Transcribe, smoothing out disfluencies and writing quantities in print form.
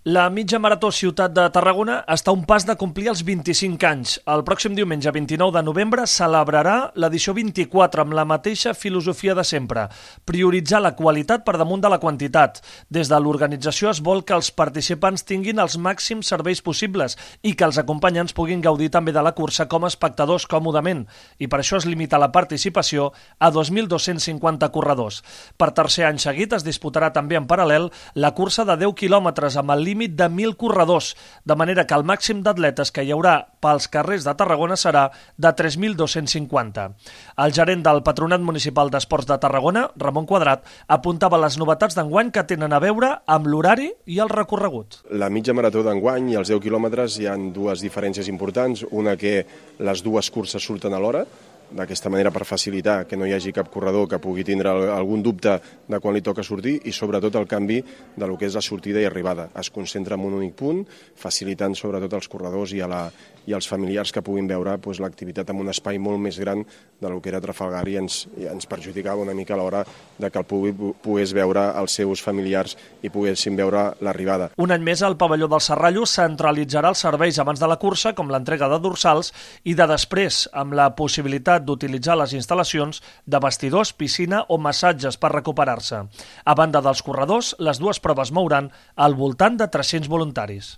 La mitja marató Ciutat de Tarragona està a un pas de complir els 25 anys. El pròxim diumenge 29 de novembre celebrarà l'edició 24 amb la mateixa filosofia de sempre, prioritzar la qualitat per damunt de la quantitat. Des de l'organització es vol que els participants tinguin els màxims serveis possibles i que els acompanyants puguin gaudir també de la cursa com a espectadors còmodament, i per això es limita la participació a 2.250 corredors. Per tercer any seguit es disputarà també en paral·lel la cursa de 10 quilòmetres amb el límit de 1.000 corredors, de manera que el màxim d'atletes que hi haurà pels carrers de Tarragona serà de 3.250. El gerent del Patronat Municipal d'Esports de Tarragona, Ramon Quadrat, apuntava les novetats d'enguany que tenen a veure amb l'horari i el recorregut. La mitja marató d'enguany i els 10 quilòmetres hi ha dues diferències importants. Una, que les dues curses surten a l'hora, d'aquesta manera per facilitar que no hi hagi cap corredor que pugui tindre algun dubte de quan li toca sortir, i sobretot el canvi de lo que és la sortida i arribada. Es concentra en un únic punt, facilitant sobretot als corredors i als familiars que puguin veure l'activitat en un espai molt més gran de lo que era Trafalgar, i ens perjudicava una mica a l'hora de que el públic pogués veure els seus familiars i poguessin veure l'arribada. Un any més, el pavelló del Serrallo centralitzarà els serveis abans de la cursa, com l'entrega de dorsals, i de després, amb la possibilitat d'utilitzar les instal·lacions de vestidors, piscina o massatges per recuperar-se. A banda dels corredors, les dues proves mouran al voltant de 300 voluntaris.